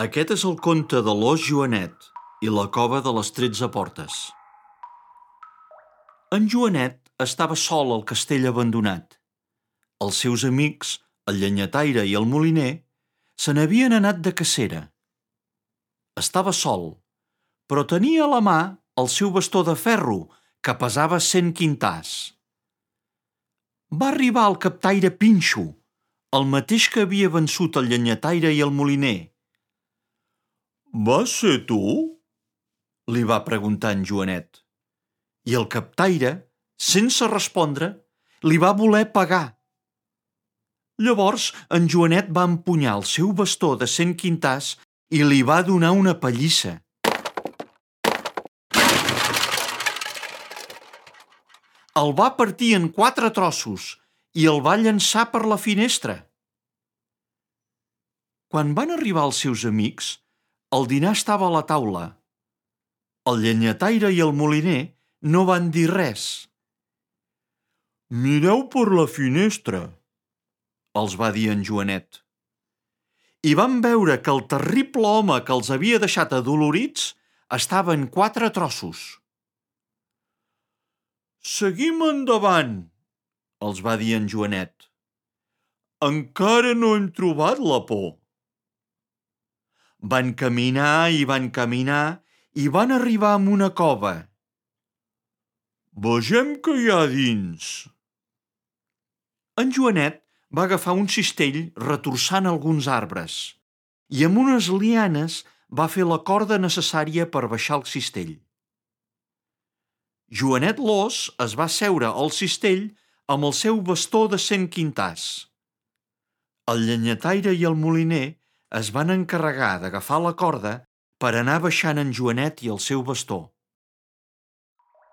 Aquest és el conte de l'ós Joanet i la cova de les 13 portes. En Joanet estava sol al castell abandonat. Els seus amics, el llenyataire i el moliner, se n'havien anat de cacera. Estava sol, però tenia a la mà el seu bastó de ferro, que pesava 100 quintars. Va arribar el captaire Pinxo, el mateix que havia vençut el llenyataire i el moliner. «Vas ser tu?» li va preguntar en Joanet. I el captaire, sense respondre, li va voler pagar. Llavors en Joanet va empunyar el seu bastó de 100 quintars i li va donar una pallissa. El va partir en 4 trossos i el va llançar per la finestra. Quan van arribar els seus amics, el dinar estava a la taula. El llenyataire i el moliner no van dir res. «Mireu per la finestra», els va dir en Joanet. I van veure que el terrible home que els havia deixat adolorits estava en 4 trossos. «Seguim endavant», els va dir en Joanet. «Encara no hem trobat la por». Van caminar i van arribar a una cova. «Vegem què hi ha dins». En Joanet va agafar un cistell retorçant alguns arbres i amb unes lianes va fer la corda necessària per baixar el cistell. Joanet l'ós es va seure al cistell amb el seu bastó de 100 quintars. El llenyataire i el moliner es van encarregar d'agafar la corda per anar baixant en Joanet i el seu bastó.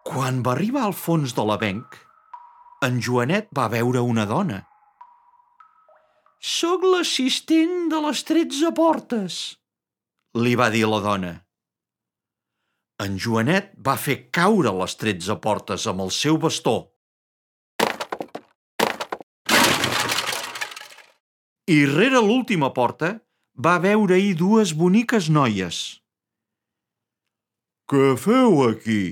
Quan va arribar al fons de l'avenc, en Joanet va veure una dona. «Soc l'assistent de les 13 portes», li va dir la dona. En Joanet va fer caure les 13 portes amb el seu bastó. I rere l'última porta va veure-hi 2 boniques noies. «Què feu aquí?»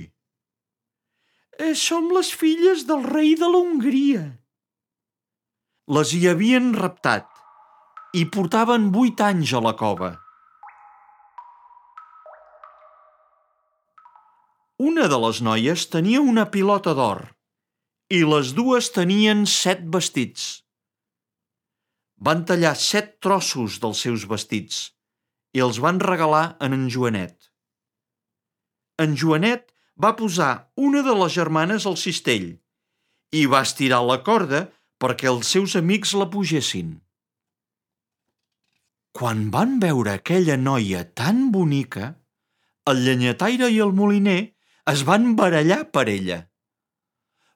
«Som les filles del rei de la Hongria». Les hi havien raptat i portaven 8 anys a la cova. Una de les noies tenia una pilota d'or i les 2 tenien 7 vestits. Van tallar 7 trossos dels seus vestits i els van regalar a en Joanet. En Joanet va posar una de les germanes al cistell i va estirar la corda perquè els seus amics la pugessin. Quan van veure aquella noia tan bonica, el llenyataire i el moliner es van barallar per ella.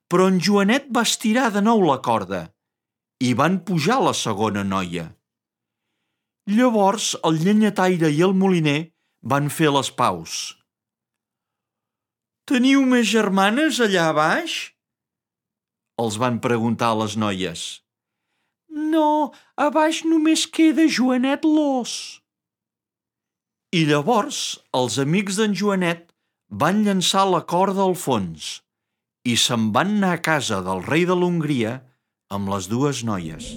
Però en Joanet va estirar de nou la corda i van pujar la segona noia. Llavors el llenyataire i el moliner van fer les paus. «Teniu més germanes allà a baix?» els van preguntar les noies. «No, a baix només queda Joanet l'ós». I llavors els amics d'en Joanet van llançar la corda al fons i se'n van anar a casa del rei de l'Hongria amb les 2 noies.